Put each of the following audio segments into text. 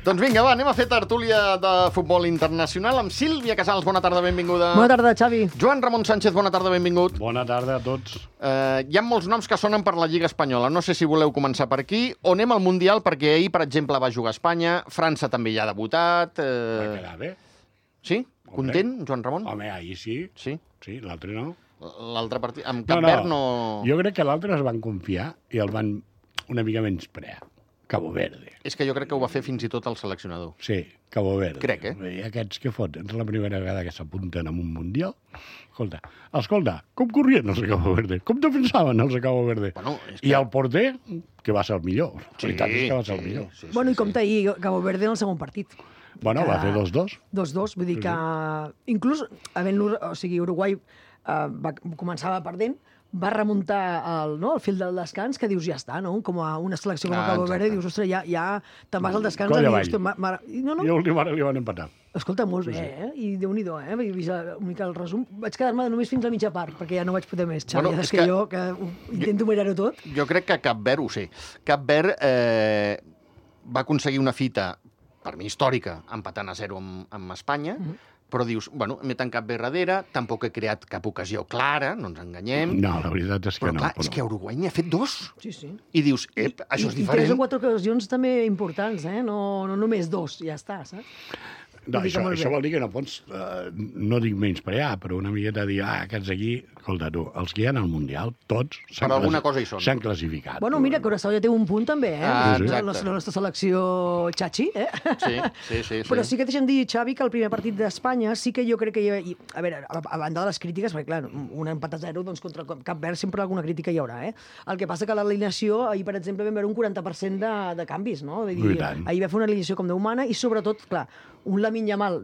Doncs vinga, va, anem a fer tertúlia de futbol internacional amb Sílvia Casals. Bona tarda, benvinguda. Bona tarda, Xavi. Joan Ramon Sánchez, bona tarda, benvingut. Bona tarda a tots. Hi ha molts noms que sonen per la Lliga Espanyola. No sé si voleu començar per aquí o anem al Mundial, perquè ahir, per exemple, va jugar a Espanya. França també hi ha debutat. Va quedar bé. Sí? Content, Joan Ramon? Home, ahir sí. Sí? Sí, l'altre no. L'altre partit... Amb Cap Verd no... Jo crec que l'altre es van confiar i el van una mica menysprear. Cabo Verde. És que jo crec que ho va fer fins i tot el seleccionador. Sí, Cabo Verde. Crec, I aquests que foten? És la primera vegada que s'apunten en un Mundial. Escolta, com corrien els de Cabo Verde? Com defensaven els de Cabo Verde? Bueno, és I el porter, que va ser el millor. La veritat és que va ser el millor. Sí, Bueno, i compta ahir Cabo Verde en el segon partit. Bueno, va fer 2-2. 2-2, vull dir que inclús Uruguai començava perdent, va remuntar el fil del descans, que dius, ja està, no? Com a una selecció com a Cabo Verde, dius, ostres, ja te'n vas al descans. Colla I dius, I a l'última hora li van empatar. Escolta, molt bé, eh? I Déu-n'hi-do, eh? He vist una mica el resum. Vaig quedar-me només fins a mitja part, perquè ja no vaig poder més, Xavi. Bueno, és que jo intento mirar-ho tot. Jo crec que Cap Verd ho sé. Cap Verd va aconseguir una fita, per mi històrica, empatant a 0 amb Espanya, però dius, bueno, m'he tancat bé darrere, tampoc he creat cap ocasió clara, no ens enganyem. No, la veritat és que Però no. clar, és que Uruguai n'hi ha fet 2. Sí, sí. I dius, això és I 3 diferent. o 4 ocasions també importants, eh? No només 2, ja està, saps? No, Vull dir que molt això bé. vol dir que no pots, no dic menysprear, però una miqueta dir, aquests aquí, escolta tu, els que hi ha al Mundial, tots Per alguna cosa hi són. s'han classificat. Bueno, mira, Curaçao ja té un punt també, eh? Ah, La exacte. nostra selecció Chachi, eh? Sí. Però sí que deixa'm dir, Xavi, que el primer partit d'Espanya sí que jo crec que a veure, a banda de les crítiques, perquè clar, un empat a 0, doncs contra Cap Verd sempre alguna crítica hi haurà, eh? El que passa que l'alineació, ahir, per exemple, vam veure un 40% de canvis, no? Vull dir, I tant. ahir va fer una alineació com Déu mana i, sobretot, clar, un Lamine Yamal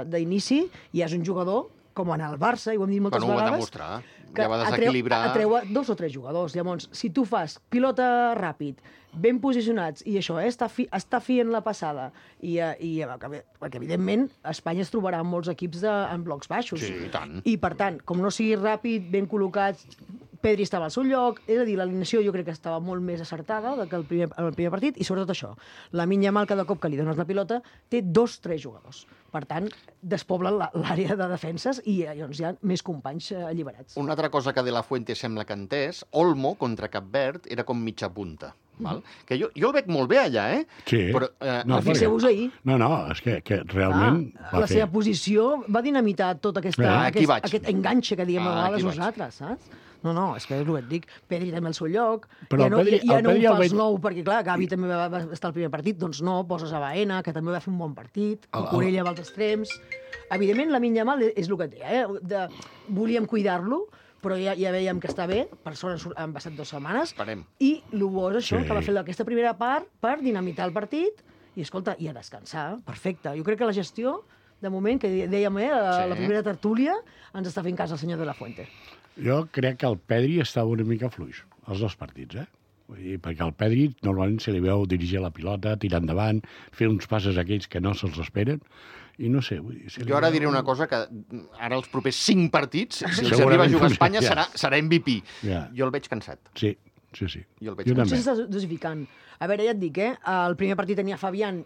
d'inici ja és un jugador com en el Barça, i ho hem dit moltes Bueno, ho va vegades, demostrar. que Ja va desequilibrar. atreu a 2 o 3 jugadors. Llavors, si tu fas pilota ràpid, ben posicionats, i això, està fi en la passada, perquè, evidentment, Espanya es trobarà amb molts equips en blocs baixos. Sí, i tant. I, per tant, com no sigui ràpid, ben col·locats, Pedri estava al seu lloc, és a dir, l'alineació jo crec que estava molt més acertada que el primer partit, i sobretot això, Lamine Yamal, cada cop que li dones la pilota, té 2-3 jugadors. Per tant, despoblen l'àrea de defenses i llavors hi ha més companys alliberats. Una altra cosa que De La Fuente sembla que ha entès, Olmo contra Cap Verd era com mitja punta. Val? Que jo el veig molt bé allà, eh? Sí. Però, No, Fixeu-vos ahir. No, és que realment La seva posició va dinamitar tot Aquí vaig. aquest enganxe que diem a vegades aquí vaig. nosaltres, saps? No, és que és el que et dic. Pedri també al seu lloc. Però ja no el Pedri ho el fas veig- nou, perquè clar, Gavi també va estar al primer partit, doncs no, poses a Baena, que també va fer un bon partit, Corella va als extrems. Evidentment, Lamine Yamal és el que té, eh? Volíem cuidar-lo, però ja veiem que està bé, per sort han passat 2 setmanes, Esperem. i el bo és això, Sí. que va fer aquesta primera part per dinamitar el partit, i escolta, i a descansar, perfecte. Jo crec que la gestió, de moment, que dèiem, la primera tertúlia, ens està fent cas el senyor De La Fuente. Jo crec que el Pedri estava una mica fluix, els 2 partits, eh? Vull dir, perquè el Pedri normalment se li veu dirigir la pilota, tirar endavant, fer uns passes aquells que no se'ls esperen, i no sé... Vull dir, Jo ara diré una cosa que ara els propers 5 partits, si els Segurament arriba a jugar a no Espanya, ja. serà MVP. Ja. Jo el veig cansat. Sí. Jo el veig Jo Potser també. s'està dosificant. A veure, ja et dic, el primer partit tenia Fabián,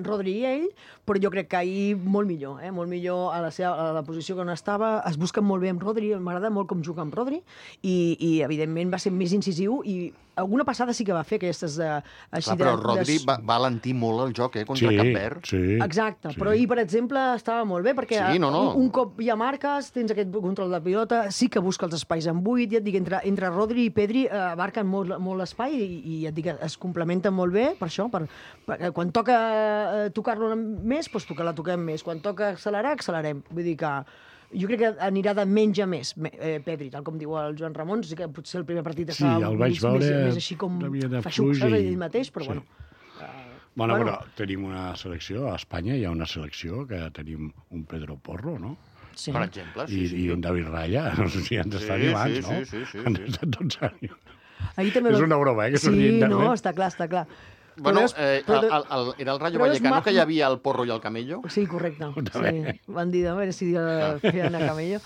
Rodri i ell, però jo crec que ahir molt millor, molt millor a la posició que on estava. Es busca molt bé amb Rodri, m'agrada molt com juga amb Rodri, i evidentment va ser més incisiu, i alguna passada sí que va fer aquestes així Clar, però Rodri va alentir molt el joc, contra Cap Verd. Sí. Exacte, sí. però ahir, per exemple, estava molt bé, perquè Sí, no. un cop ja marques, tens aquest control de pilota, sí que busca els espais en buit, ja et dic, entre Rodri i Pedri abarquen molt l'espai, i ja et dic, es complementen molt bé, per això, perquè quan toca tocar-lo més, doncs la toquem més, quan toca accelerar, accelerem. Vull dir que jo crec que anirà de menys a més, Pedri, tal com diu el Joan Ramon, sí que potser el primer partit Sí, estava el vaig veure més així com una mica de feixuc, fluix saps, i- ell mateix, però sí. bueno. Bueno, però tenim una selecció, a Espanya hi ha una selecció que tenim un Pedro Porro, no? Sí. Per exemple, I un David Raya, no sé si ens està animats, sí, no? sí. Ens estan tots animats. Ahir també És una broma, que estic Sí, dient no, també. està clar. Bueno, Però era el Rayo però és Vallecano, que hi maco. havia el Porro i el Camello. Sí, correcte. També. Sí. Van dir, a veure si feien a Camello.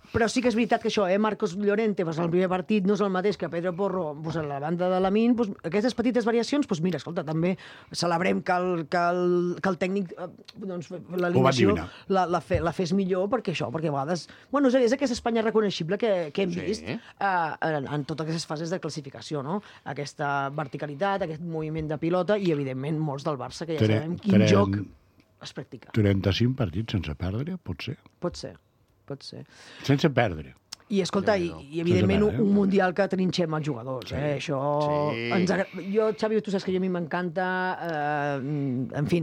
Però sí que és veritat que això, Marcos Llorente, pues, el primer partit no és el mateix que Pedro Porro, pues, a la banda de Lamine, pues, aquestes petites variacions, pues, mira, escolta, també celebrem que el tècnic, doncs, l'alineació la fes millor, perquè això, perquè a vegades... Bueno, és aquesta Espanya reconeixible que hem vist en totes aquestes fases de classificació, no? Aquesta verticalitat, aquest moviment de pilota i, evidentment, molts del Barça, que ja sabem quin joc es practica. 35 partits sense perdre, pot ser? Pot ser. Sense perdre. I, escolta, i evidentment, un mundial que trinxem els jugadors. Això... Jo, Xavi, tu saps que a mi m'encanta... En fi,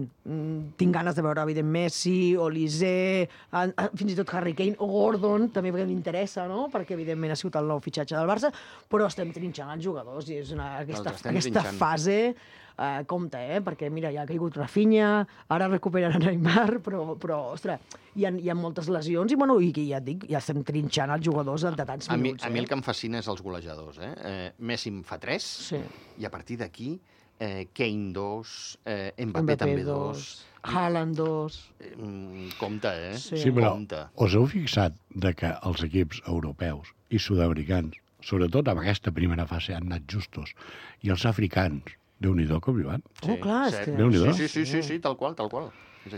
tinc ganes de veure, evidentment, Messi, Olise, fins i tot Harry Kane, o Gordon, també perquè m'interessa, no? Perquè, evidentment, ha sigut el nou fitxatge del Barça, però estem trinxant els jugadors i és aquesta fase... compte, perquè mira, ja ha caigut Rafinha, ara recuperen Neymar, però ostres, hi ha moltes lesions i, bueno, i ja et dic, ja estem trinxant els jugadors de tants minuts. A mi el que em fascina és els golejadors. Messi en fa 3, i a partir d'aquí Kane 2, Mbappé també 2... Haaland 2... Compte, Sí, però us heu fixat que els equips europeus i sud-americans, sobretot en aquesta primera fase, han anat justos, i els africans, Déu-n'hi-do com hi van. Clar, és que... Déu-n'hi-do. Sí, tal qual.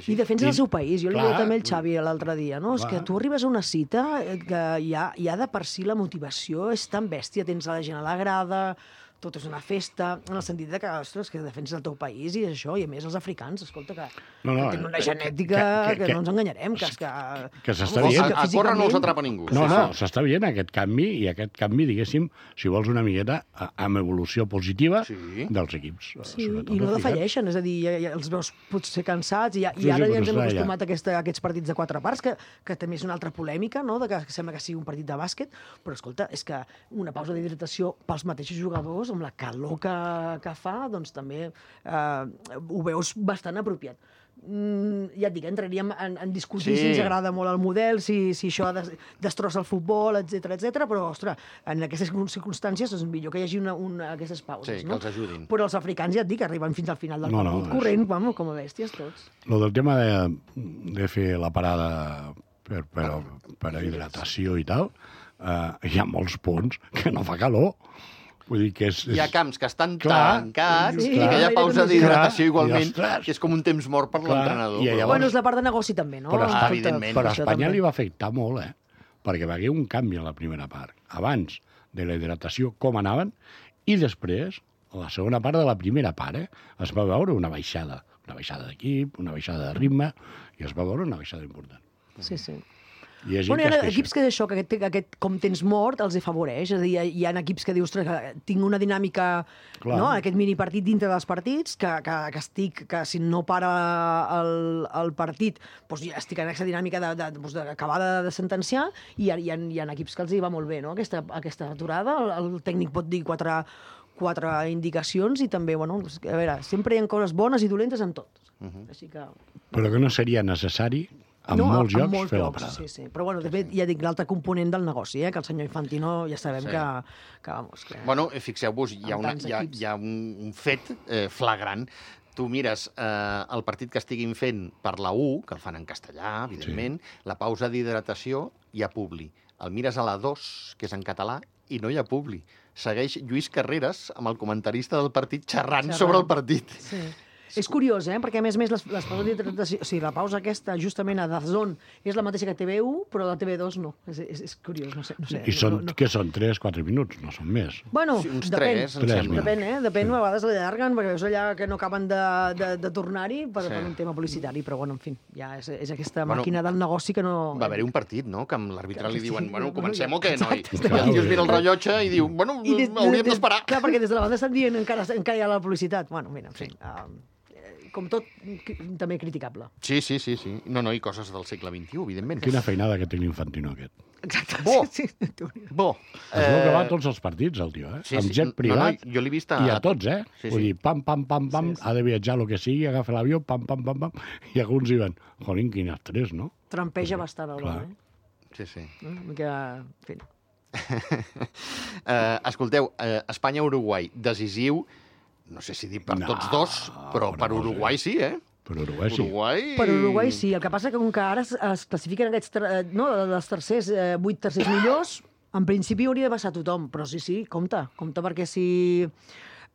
I defensa el seu país. Jo li deia també al Xavi l'altre dia, no? És que tu arribes a una cita que ja de per si la motivació és tan bèstia. Tens la gent a la grada, tot és una festa, en el sentit que, ostres, que defenses el teu país i això, i a més els africans, escolta, que tenen una genètica que no ens enganyarem, que s'està dient. A córrer no els atrapa ningú. No, s'està veient aquest canvi, i aquest canvi, diguéssim, si vols una miqueta, amb evolució positiva dels equips. Sí, i no defalleixen, és a dir, els veus potser cansats, i ara ja ens hem acostumat a aquests partits de 4 parts, que també és una altra polèmica, no?, que sembla que sigui un partit de bàsquet, però, escolta, és que una pausa d'hidratació pels mateixos jugadors, amb la calor que fa, doncs també ho veus bastant apropiat. Ja et dic, entraríem en discutir si ens agrada molt el model, si això destrossa el futbol, etc, però, ostres, en aquestes circumstàncies és millor que hi hagi aquestes pauses. Sí, que els ajudin. Però els africans, ja et dic, arriben fins al final del partit corrent, com a bèsties tots. Lo del tema de fer la parada per a hidratació i tal, hi ha molts punts que no fa calor. Vull dir que hi ha camps que estan tancats i que hi ha pausa d'hidratació igualment, que és com un temps mort per l'entrenador. Bueno, és la part de negoci també, no? Però a Espanya li va afectar molt, perquè va haver un canvi a la primera part. Abans de la hidratació, com anaven, i després, a la segona part de la primera part, es va veure una baixada d'equip, una baixada de ritme, i es va veure una baixada important. Sí. Hi ha equips que això, que aquest com tens mort, els afavoreix. És a dir, hi ha equips que dius, que tinc una dinàmica, no?, aquest minipartit dintre dels partits, que si no para el partit, doncs ja estic en aquesta dinàmica d'acabar de sentenciar, i hi ha equips que els hi va molt bé, no?, aquesta aturada. El tècnic pot dir quatre indicacions i també, bueno, a veure, sempre hi ha coses bones i dolentes en tot. Així que... Però que no seria necessari molts jocs fer la parada. Sí. Però, bueno, de fet, ja dic, l'altre component del negoci, que el senyor Infantino ja sabem que... Bueno, fixeu-vos, hi ha un fet flagrant. Tu mires el partit que estiguin fent per la U, que el fan en castellà, evidentment, la pausa d'hidratació, hi ha publi. El mires a la 2, que és en català, i no hi ha publi. Segueix Lluís Carreras amb el comentarista del partit xerrant sobre el partit. Sí. És curiós, perquè a més les pauses d'hidratació... O sigui, la pausa aquesta, justament a DAZN, és la mateixa que TV1, però la TV2 no. És curiós, no sé. I què són? 3-4 minuts? No són més? Bueno, uns depèn. 3, Depèn, a vegades l'allarguen, perquè veus allà que no acaben de tornar-hi per un tema publicitari, però, bueno, en fi, ja és aquesta màquina del negoci que no... Va haver un partit, no?, que amb l'àrbitre li diuen, bueno, comencem o què, noi? I el tio es mira el rellotge i diu, bueno, hauríem d'esperar. Clar, perquè des de la banda estan dient encara hi ha la publicitat. Bueno, mira, en fi... com tot, també criticable. Sí. No, i coses del segle XXI, evidentment. Quina feinada que té l'Infantino, aquest. Exacte. Bo. Es veu que va a tots els partits, el tio, amb jet privat. Jo l'he vist i a tots, Vull dir, pam, ha de viatjar el que sigui, agafa l'avió, pam, i alguns diuen, jolín, quin estrès, no? Trampeja bastant el home, Sí. En fi. Escolteu, Espanya-Uruguai, decisiu, no sé si dir per tots dos, però per Uruguai sí, Per Uruguai sí. Per Uruguai sí. El que passa que com que ara es classifiquen aquests, els tercers, 8 tercers millors, en principi hauria de passar tothom, però sí, compte perquè si...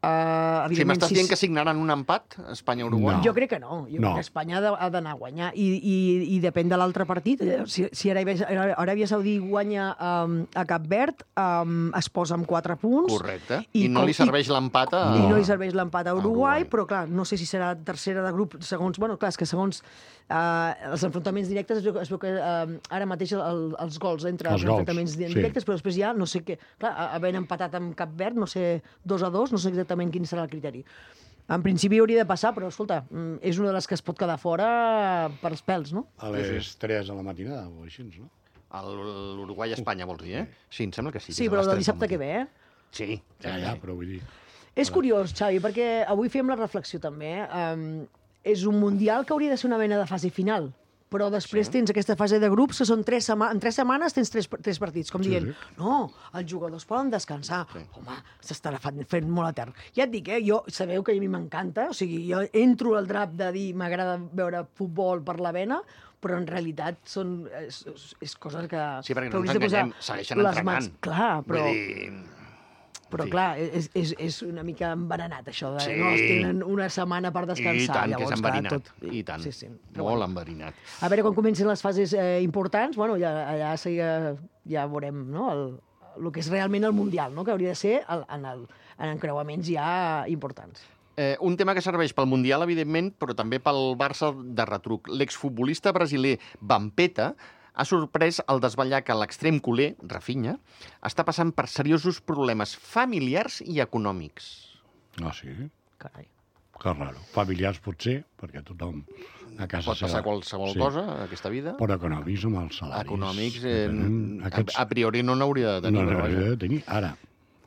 Si m'estàs dient que signaran un empat, Espanya-Uruguai? Jo crec que no. Jo crec que Espanya ha d'anar a guanyar. I depèn de l'altre partit. Si Aràbia Saudí guanya a Cap Verd, es posa amb 4 punts. Correcte. I no li serveix l'empat a... I no li serveix l'empat a Uruguai, però clar, no sé si serà tercera de grup, segons... Bueno, clar, és que segons els enfrontaments directes es veu que ara mateix els gols entre els enfrontaments directes, però després ja no sé què... Clar, havent empatat amb Cap Verd, no sé, 2-2, no sé exactament quin serà el criteri. En principi hauria de passar, però, escolta, és una de les que es pot quedar fora per els pèls, no? A les 3 de la matinada o així, no? L'Uruguai-Espanya, vols dir, eh? Sí, em sembla que sí. Sí, però el dissabte que ve, eh? Sí. Ja, però vull dir... És curiós, Xavi, perquè avui fem la reflexió també. És un mundial que hauria de ser una mena de fase final, però després tens aquesta fase de grups que són en 3 setmanes tens 3 partits, com dient, no, els jugadors poden descansar. Home, s'estarà fent molt etern. Ja et dic, jo sabeu que a mi m'encanta, o sigui, jo entro al drap de dir m'agrada veure futbol per la vena, però en realitat és coses que... Sí, perquè no ens enganyem, segueixen entrenant. Clar, però... Vull dir... Però, clar, és una mica envenenat, això de no els tenen una setmana per descansar. I tant, llavors, que és enverinat. Tot... I tant, sí. molt enverinat. A veure, quan comencin les fases importants, bueno, allà ja veurem, no?, el que és realment el Mundial, no?, que hauria de ser en encreuaments ja importants. Un tema que serveix pel Mundial, evidentment, però també pel Barça de retruc. L'exfutbolista brasiler Vampeta ha sorprès el desvetllar que l'extrem culer, Rafinha, està passant per seriosos problemes familiars i econòmics. Ah, sí? Carai. Que raro. Familiars potser, perquè tothom a casa Pot passar qualsevol cosa a aquesta vida. Però econòmics amb els salaris. Econòmics, a priori no n'hauria de tenir. No n'hauria de tenir, ara.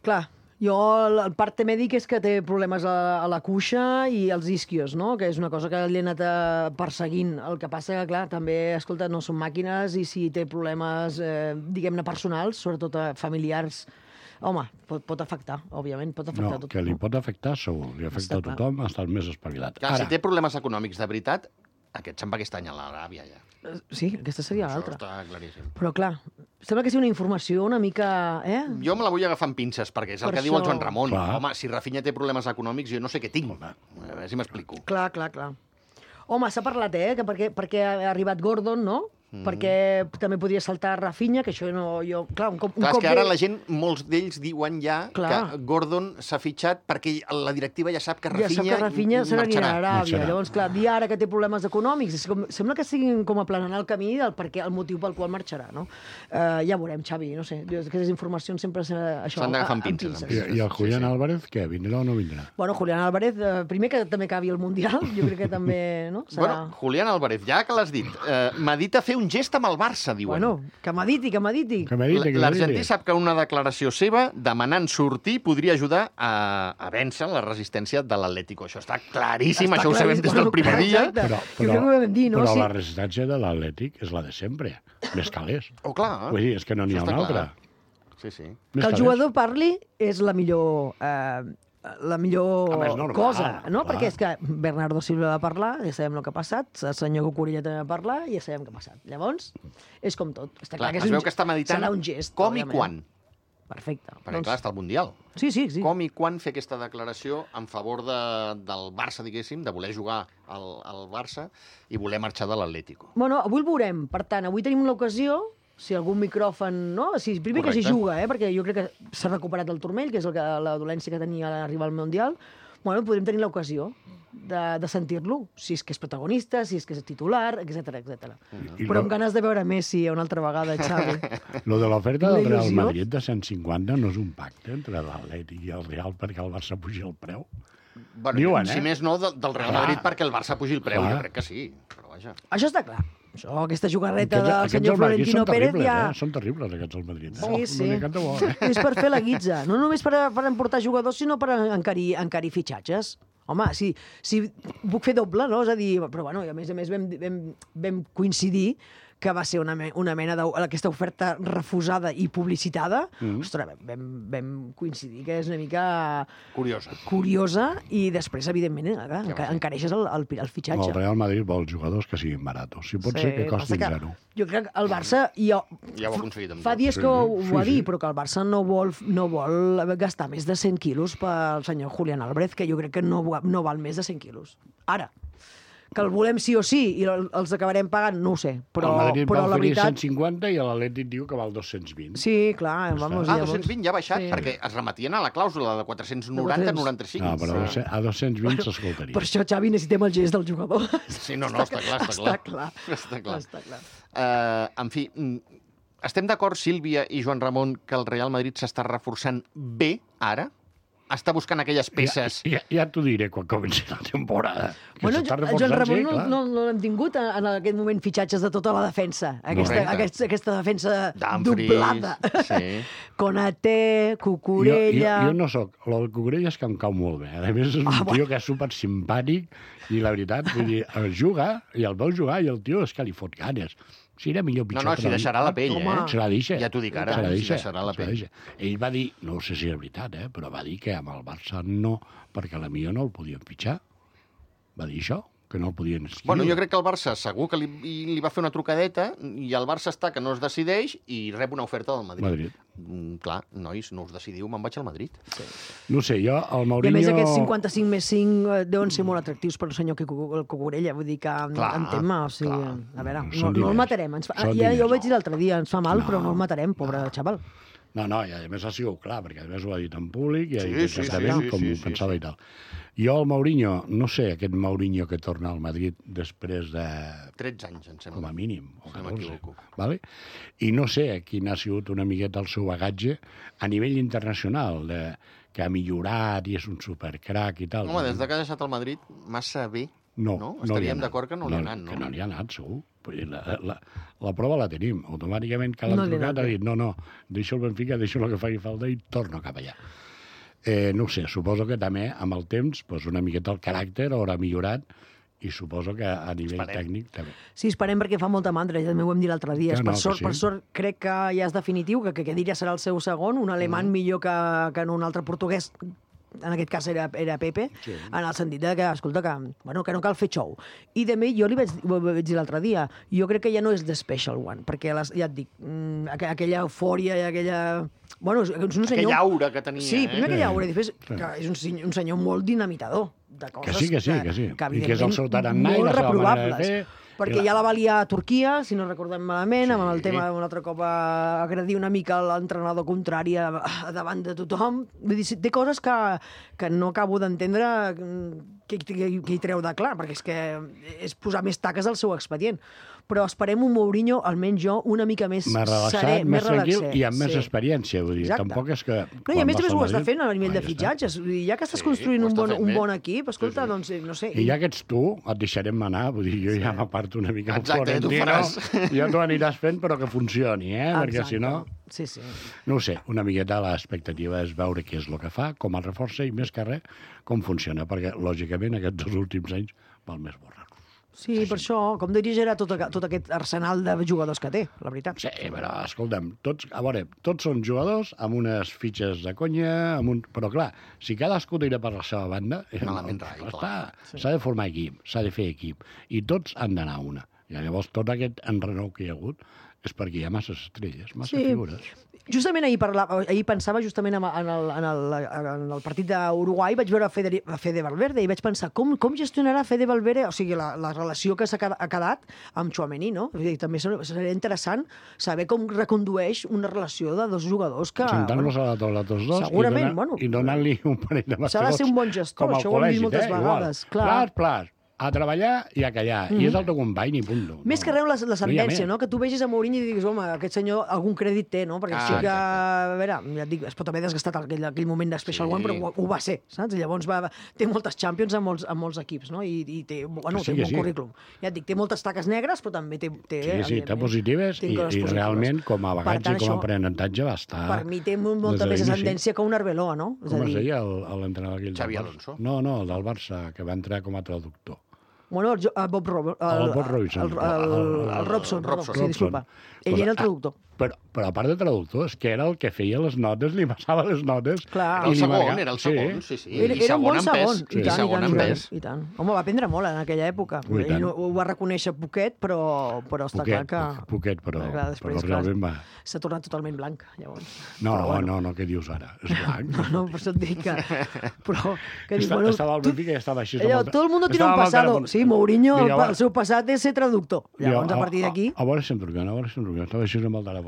Clar. Jo, el parte mèdic és que té problemes a la cuixa i als isquios, no?, que és una cosa que li ha anat perseguint. El que passa que, clar, també, escolta, no són màquines i si té problemes, diguem-ne, personals, sobretot familiars, home, pot afectar, òbviament, pot afectar tot. No, que li pot afectar segur, li afecta a tothom, ha estat més espavilat. Clar, si té problemes econòmics de veritat, aquest se'n va aquest any a l'Aràbia, ja. Sí, aquesta seria l'altra. Això està claríssim. Però, clar, sembla que sigui una informació una mica... Jo me la vull agafar amb pinces, perquè és el que diu el Joan Ramon. Clar. Home, si Rafinha té problemes econòmics, jo no sé què tinc. A veure si m'explico. Clar. Home, s'ha parlat, que perquè ha arribat Gordon, no?, perquè també podria saltar Rafinha, que això no... Clar, és que ara la gent, molts d'ells diuen ja que Gordon s'ha fitxat perquè la directiva ja sap que Rafinha se n'anirà a Aràbia. Llavors, clar, dir ara que té problemes econòmics, sembla que siguin com aplanant el camí el motiu pel qual marxarà, no? Ja veurem, Xavi, no sé, aquestes informacions sempre s'han d'agafar amb pinces. I el Julián Álvarez, què, vindrà o no vindrà? Bueno, Julián Álvarez, primer que també acabi el Mundial, jo crec que també, no? Bueno, Julián Álvarez, ja que l'has dit, medita fer un gest amb el Barça, diuen. Bueno, que mediti. L'argentí sap que una declaració seva demanant sortir podria ajudar a vèncer la resistència de l'Atlético. Això està claríssim, això ho sabem des del primer dia. Però la resistència de l'Atlètic és la de sempre, més calés. Oh, clar. Vull dir, és que no n'hi ha una altra. Sí. Que el jugador parli és la millor cosa, no? Clar. Perquè és que Bernardo Silva va parlar, ja sabem el que ha passat, el senyor Cucurella també va parlar, ja sabem què ha passat. Llavors, és com tot. Està clar que es veu que està meditant serà un gest, com i quan. Perfecte. Perquè, clar, està al Mundial. Sí. Com i quan fer aquesta declaració en favor del Barça, diguéssim, de voler jugar al Barça i voler marxar de l'Atlético. Bueno, avui el veurem. Per tant, avui tenim l'ocasió, si algun micròfon... No? Primer que s'hi juga, perquè jo crec que s'ha recuperat el turmell, que és la dolència que tenia a l'arribar al Mundial. Bueno, podem tenir l'ocasió de sentir-lo, si és que és protagonista, si és que és titular, etc. Però amb ganes de veure Messi una altra vegada, Xavi. Lo de l'oferta del Real Madrid de 150 no és un pacte entre l'Atlètic i el Real perquè el Barça pugi el preu? Bueno, diuen, si més no, del Real Madrid perquè el Barça pugi el preu, jo crec que sí. Però vaja. Això està clar. Aquesta jugarreta del senyor Florentino Pérez ja... Són terribles, aquests al Madrid. Sí. És per fer la guitza. No només per emportar jugadors, sinó per encarir fitxatges. Home, si puc fer doble, no? És a dir, però bueno, a més vam coincidir que va ser una mena d'aquesta oferta refusada i publicitada, ostres, vam coincidir que és una mica curiosa i després, evidentment, encareixes el fitxatge. El Real Madrid vol jugadors que siguin baratos. Si pot ser que costin zero. Jo crec que el Barça... Ja ho ha aconseguit. Fa dies que ho va dir, però que el Barça no vol gastar més de 100 quilos pel senyor Julián Álvarez, que jo crec que no val més de 100 quilos. Ara, que el volem sí o sí i els acabarem pagant, no ho sé. Però el Madrid va la oferir veritat... 150 i l'Atlètic diu que val 220. Sí, clar. Vamos, 220 ja ha baixat, perquè es remetien a la clàusula de 490-95. No, però a 220 s'escoltaria. Per això, Xavi, necessitem el gest del jugador. Sí, no, està clar. Està clar. En fi, estem d'acord, Sílvia i Joan Ramon, que el Real Madrid s'està reforçant bé ara? Està buscant aquelles peces... Ja t'ho diré quan comenci la temporada. Bueno, Joan Ramon no l'hem tingut en aquest moment fitxatges de tota la defensa. Aquesta defensa doblada. Sí. Konaté, Cucurella... Jo no soc... El Cucurella és que em cau molt bé. A més, és un tio que és supersimpàtic i la veritat, vull dir, juga i el veus jugar i el tio és que li fot ganes. Si era millor pitjor... No, si deixarà la pell, Se la deixa. Ja t'ho dic ara, si deixarà la pell. Ell va dir, no sé si és veritat, però va dir que amb el Barça no, perquè la millor no el podien fitxar. Va dir això, que no el podien escriure. Bueno, jo crec que el Barça segur que li va fer una trucadeta i el Barça està que no es decideix i rep una oferta del Madrid. Clar, nois, no us decidiu, me'n vaig al Madrid. Sí. No sé, jo, el Mourinho... I a més, aquests 55 més 5 deuen ser molt atractius per el senyor Cucurella, vull dir que en tema, o sigui, a veure, no el matarem. Ja ho vaig dir l'altre dia, ens fa mal, però no el matarem, pobre xaval. No, i a més ha sigut clar, perquè a més ho ha dit en públic i ha dit exactament com ho pensava i tal. Jo, el Mourinho, no sé, aquest Mourinho que torna al Madrid després de... 13 anys, em sembla. Com a mínim, o 14. No m'equivoco. Vale? I no sé quin ha sigut una miqueta el seu bagatge a nivell internacional, que ha millorat i és un supercrac i tal. Home, des que ha deixat el Madrid, massa bé. No? Estaríem d'acord que no li ha anat, no? Que no li ha anat, segur. La prova la tenim. Automàticament que l'han trucat ha dit no, deixo el Benfica, deixo el que faci falta i torno cap allà. No ho sé, suposo que també amb el temps una miqueta el caràcter haurà millorat i suposo que a nivell tècnic també. Sí, esperem perquè fa molta mandra, ja també ho vam dir l'altre dia. Per sort crec que ja és definitiu, que aquest dia serà el seu segon, un alemany millor que un altre portuguès, en aquest cas era Pepe, en el sentit que, escolta, que no cal fer xou. I també jo ho vaig dir l'altre dia, jo crec que ja no és the special one, perquè ja et dic, aquella eufòria i aquella... Bueno, és un senyor... Aquella aura que tenia. Sí, primer aquella aura, i després que és un senyor molt dinamitador de coses que sí. I que és el seu tarannà i la seva manera de fer. Perquè ja la va liar a Turquia, si no recordem malament, amb el tema un altre cop agredir una mica l'entrenador contrari davant de tothom. Vull dir, té coses que no acabo d'entendre que hi treu de clar, perquè és que és posar més taques al seu expedient. Però esperem un Mourinho, almenys jo, una mica més serè, més tranquil i amb més experiència, vull dir. Tampoc és que... No, i a més ho està fent a nivell de fitxatges. Ja que estàs construint un bon equip, escolta, doncs, no sé... I ja que ets tu, et deixarem anar, vull dir, jo ja m'aparto una mica al Florentino, ja t'ho aniràs fent, però que funcioni, perquè si no... Sí. No ho sé, una miqueta l'expectativa és veure què és el que fa, com el reforça i més que res, com funciona, perquè, lògicament, aquests 2 últims anys val més borrar. Sí, per això, com dirigirà tot aquest arsenal de jugadors que té, la veritat. Sí, però, escolta'm, tots són jugadors amb unes fitxes de conya, però clar, si cadascú tira per la seva banda, s'ha de formar equip, s'ha de fer equip, i tots han d'anar a una. I llavors tot aquest enrenou que hi ha hagut és perquè hi ha masses estrelles, figures. Justament ahir pensava justament en el partit d'Uruguai, vaig veure Fede Valverde i vaig pensar com gestionarà Fede Valverde, o sigui, la relació que ha quedat amb Tchouaméni, no? També seria interessant saber com recondueix una relació de 2 jugadors que... Sentant-los a la taula tots dos i donant-li un parell de bastigos. S'ha de ser un bon gestor, això ho hem vist moltes vegades. Plats. A treballar i a callar. I és el teu company i punt. Més que res la sentència, no? Que tu vegis a Mourinho i diguis, home, aquest senyor algun crèdit té, no? Perquè sí que, a veure, ja et dic, es pot haver desgastat aquell moment de Special One, però ho va ser, saps? I llavors té moltes Champions a molts equips, no? I té un bon currículum. Ja et dic, té moltes taques negres, però també té... Sí, té positives i realment, com a bagatge, com a aprenentatge, va estar... Per mi té molta més ascendència que un Arbeloa, no? Com es deia l'entrenador aquell? Xavi Alonso. No, el del Barça, que va entrar com a traductor. Bueno, Bob Robinson. El Robson, perdó, sí, disculpa. Ell era el traductor. Però a part de traductor, és que era el que feia les notes, li passava les notes... Clar. Era el segon, sí. Era un bon segon. I segon en pes. I tant. Home, va aprendre molt en aquella època. Ell ho va reconèixer poquet, però està clar que... Poquet, però realment va... S'ha tornat totalment blanc, llavors. No, què dius ara? És blanc. No, per això et dic que... Però... Estava al Benfica i estava així... Todo el mundo tiene un pasado. Sí, Mourinho, el seu passat és ser traductor. Llavors, a partir d'aquí... A veure si em truquen, estava així amb el telèfon.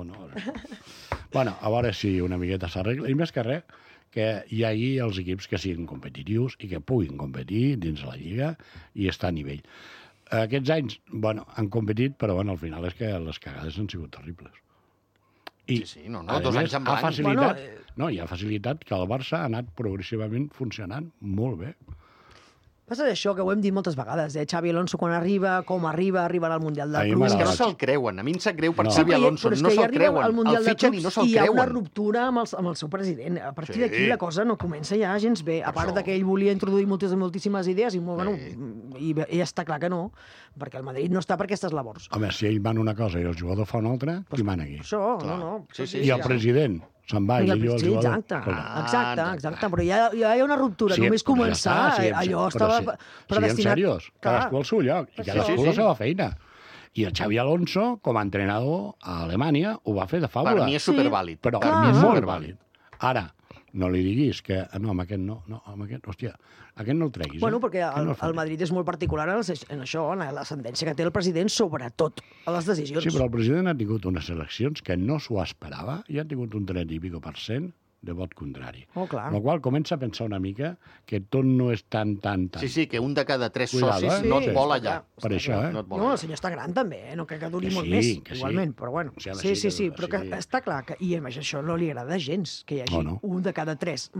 Bueno, a veure si una miqueta s'arregla. I més que res, que hi hagi els equips que siguin competitius i que puguin competir dins la Lliga i estar a nivell. Aquests anys, han competit, però al final és que les cagades han sigut terribles. I, sí, 2 anys en blanc. Hi ha facilitat que el Barça ha anat progressivament funcionant molt bé. Passa això, que ho hem dit moltes vegades, Xavi Alonso quan arriba, com arriba al Mundial de Clubs... És que no se'l creuen, a mi em sap greu per Xavi Alonso, no se'l creuen, el fitxen i no se'l creuen. I hi ha una ruptura amb el seu president, a partir d'aquí la cosa no comença ja gens bé, a part que ell volia introduir moltíssimes idees i està clar que no, perquè el Madrid no està per aquestes labors. Home, si ell mana una cosa i el jugador fa una altra, qui mana aquí? Això, no. I el president... se'n va i diu al jugador... Exacte, però ja hi ha una ruptura. Només començar, allò estava predestinat... Siguem serios, cadascú al seu lloc, i cadascú la seva feina. I el Xavi Alonso, com a entrenador a Alemanya, ho va fer de fàbula. Per mi és supervàlid. Però molt vàlid. Ara, no li diguis que... No, amb aquest no, amb aquest... Hòstia, aquest no el treguis. Bueno, perquè el Madrid és molt particular en això, en la sentència que té el president, sobretot a les decisions. Sí, però el president ha tingut unes eleccions que no s'ho esperava i ha tingut un 30 i pico % de vot contrari. Clar. Amb la qual comença a pensar una mica que tot no és tan... Sí, que un de cada 3 socis no et vol allà. Per això, No, el senyor està gran també, no crec que duri molt més, igualment, però bueno. Sí, però que està clar que, i a més això no li agrada gens, que hi hagi un de cada 3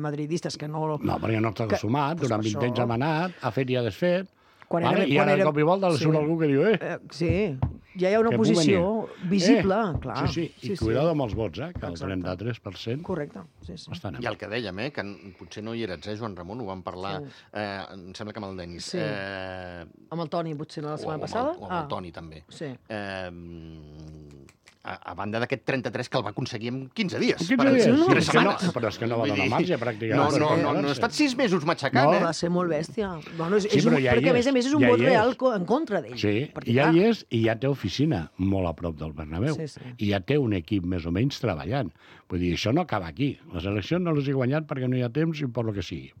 madridistes que no... No, perquè no està sumat, durant 20 anys ha manat, ha fet i ha desfet, i ara de cop i volta surt algú que diu, Sí, ja hi ha una posició visible, clar. Sí, i cuidado amb els vots, que el 33%... Correcte, sí. I el que dèiem, que potser no hi eres, Joan Ramon, ho vam parlar, em sembla que amb el Denis. Sí. Amb el Toni, potser, la setmana passada? O amb el Toni, també. Sí. A banda d'aquest 33 que el va aconseguir en 15 dies. 15 dies? 3 setmanes. Però és que no va donar marge, pràcticament. No, ha estat 6 mesos matxacant, No, va ser molt bèstia. Perquè, a més, és un vot real en contra d'ell. Sí, ja hi és, i ja té oficina molt a prop del Bernabéu. I ja té un equip més o menys treballant. Vull dir, això no acaba aquí. Les eleccions no les he guanyat perquè no hi ha temps i per lo que sigui.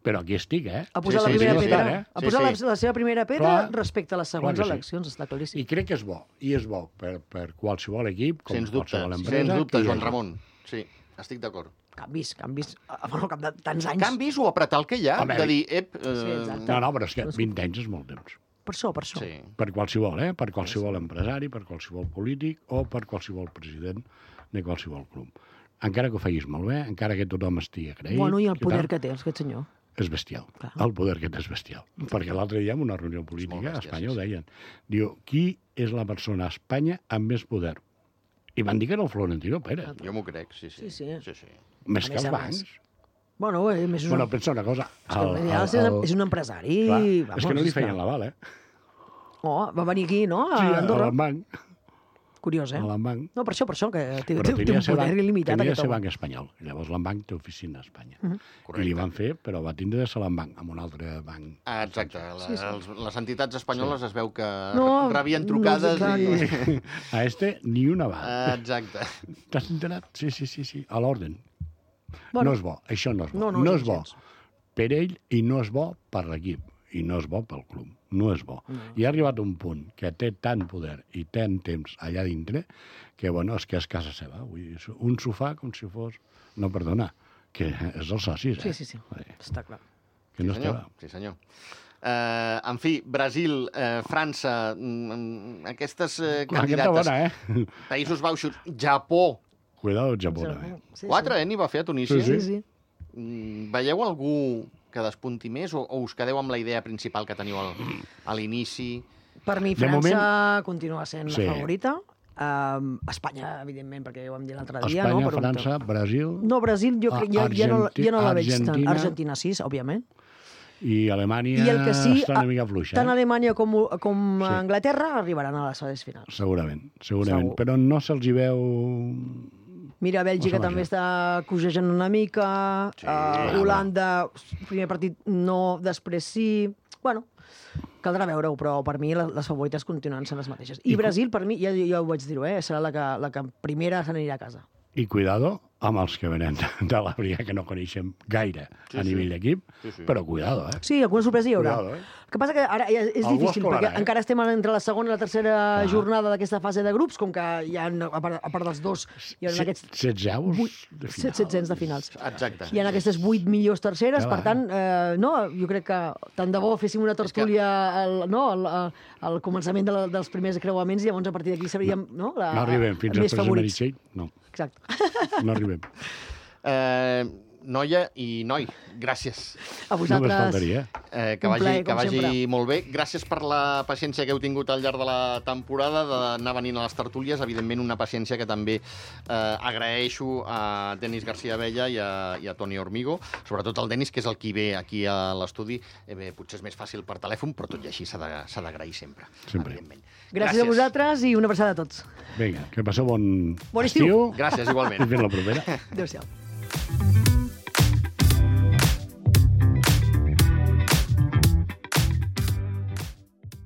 Però aquí estic, Ha posat la primera pedra. Ha posat la seva primera pedra respecte a les següents eleccions, està claríssim. I crec que és bo. I és bo per qualsevol equip, com qualsevol empresa. Sens dubte, Joan Ramon. Sí, estic d'acord. Canvis. Bueno, cap de tants anys. Canvis o apretar el que hi ha, de dir, No, però és que 20 anys és molt temps. Per això. Sí. Per qualsevol, per qualsevol empresari, per qualsevol polític o per qualsevol president de qualsevol club. Encara que ho feguis molt bé, encara que tothom estigui agraït... Bueno, i el poder que té, aquest senyor. És bestial. El poder que té és bestial. Perquè l'altre dia, en una reunió política, a Espanya ho deien. Diu, qui és la persona a Espanya amb més poder? I van dir que era el Florentino Pérez. Jo m'ho crec, sí. Més que els bancs. Bueno, pensa una cosa. És un empresari. És que no li feien l'aval, va venir aquí, no? A Andorra. Sí, al banc. Curiós, A l'Embanc. No, per això, que té un poder il·limitat. Tenia de ser banc espanyol. I llavors l'Embanc té oficina a Espanya. I li van fer, però va tindre de ser l'Embanc, amb un altre banc. Exacte. Les entitats espanyoles es veu que rebien trucades i... A ni una va. Exacte. T'has enterat? Sí. A l'orden. No és bo. Això no és bo. No és bo per ell i no és bo per l'equip. I no és bo pel club. No és bo. I ha arribat un punt que té tant poder i tant temps allà dintre que, és que és casa seva. Vull dir, un sofà com si fos... No, perdona, que és els socis, Sí. Està clar. Sí, senyor. En fi, Brasil, França, aquestes candidates... Bona, Països Baixos, Japó. Cuidado, Japó, també. 4, n'hi va fer a Tunísia. Sí. Veieu algú que despunti més o us quedeu amb la idea principal que teniu a l'inici? Per mi, França continua sent la favorita. Espanya, evidentment, perquè ja ho vam dir l'altre dia. Espanya, França, Brasil... No, Brasil jo crec ja no la veig tant. Argentina, sí, òbviament. I Alemanya I el que sí, està una mica fluixa. tant Alemanya com Anglaterra arribaran a les fases finals. Segurament. Segur. Però no se'ls hi veu... Mira, Bèlgica també està cogejant una mica, Holanda, primer partit no, després sí... Bueno, caldrà veure-ho, però per mi les favorites continuen sent les mateixes. I Brasil, per mi, ja ho vaig dir-ho, serà la que primera se n'anirà a casa. I cuidado amb els que venen de l'Àfrica, que no coneixem gaire a nivell d'equip, però cuidado, eh? Sí, alguna sorpresa hi haurà. Cuidado, El que passa que ara és difícil, perquè encara estem entre la segona i la tercera jornada d'aquesta fase de grups, com que hi ha, a part dels dos, hi ha aquests... 16 avos de finals. 700 de finals. Exacte. Hi ha aquestes 8 millors terceres, per tant, jo crec que tant de bo féssim una tertúlia al començament dels primers creuaments i llavors a partir d'aquí sabríem no arribem fins al tercer Meritxell, no. Exacte. No arribem. Noia i noi, gràcies. A vosaltres. Només faltaria. Que vagi molt bé. Gràcies per la paciència que heu tingut al llarg de la temporada, d'anar venint a les tertúlies. Evidentment, una paciència que també agraeixo a Denis García Abella i a Toni Hormigo, sobretot al Denis, que és el qui ve aquí a l'estudi. Potser és més fàcil per telèfon, però tot i així s'ha d'agrair sempre. Evidentment. Gràcies a vosaltres i una abraçada a tots. Vinga, que passeu bon estiu. Gràcies, igualment. I fins la propera. Adéu-siau.